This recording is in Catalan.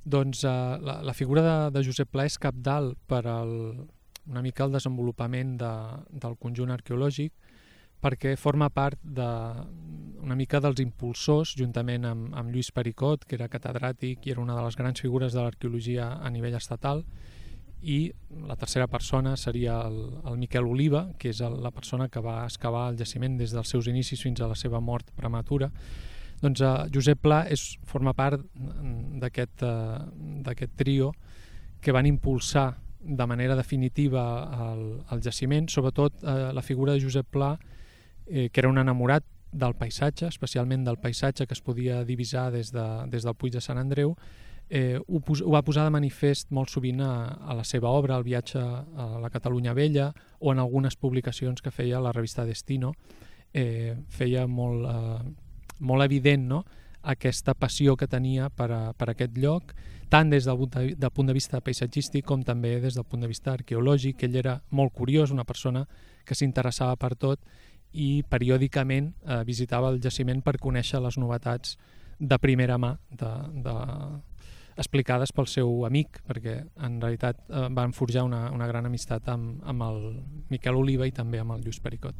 Doncs la figura de Josep Pla és cabdal per una mica el desenvolupament del conjunt arqueològic, perquè forma part una mica dels impulsors, juntament amb Lluís Pericot, que era catedràtic i era una de les grans figures de l'arqueologia a nivell estatal, i la tercera persona seria el Miquel Oliva, que és la persona que va excavar el jaciment des dels seus inicis fins a la seva mort prematura. Doncs Josep Pla forma part d'aquest trio que van impulsar de manera definitiva el jaciment, sobretot la figura de Josep Pla, que era un enamorat del paisatge, especialment del paisatge que es podia divisar des del Puig de Sant Andreu. Ho va posar de manifest molt sovint a la seva obra, al viatge a la Catalunya Vella, o en algunes publicacions que feia a la revista Destino. Feia molt evident, no?, aquesta passió que tenia per aquest lloc, tant des del punt de vista paisatgístic com també des del punt de vista arqueològic. Ell era molt curiós, una persona que s'interessava per tot i periòdicament visitava el jaciment per conèixer les novetats de primera mà, explicades pel seu amic, perquè en realitat van forjar una gran amistat amb el Miquel Oliva i també amb el Lluís Pericot.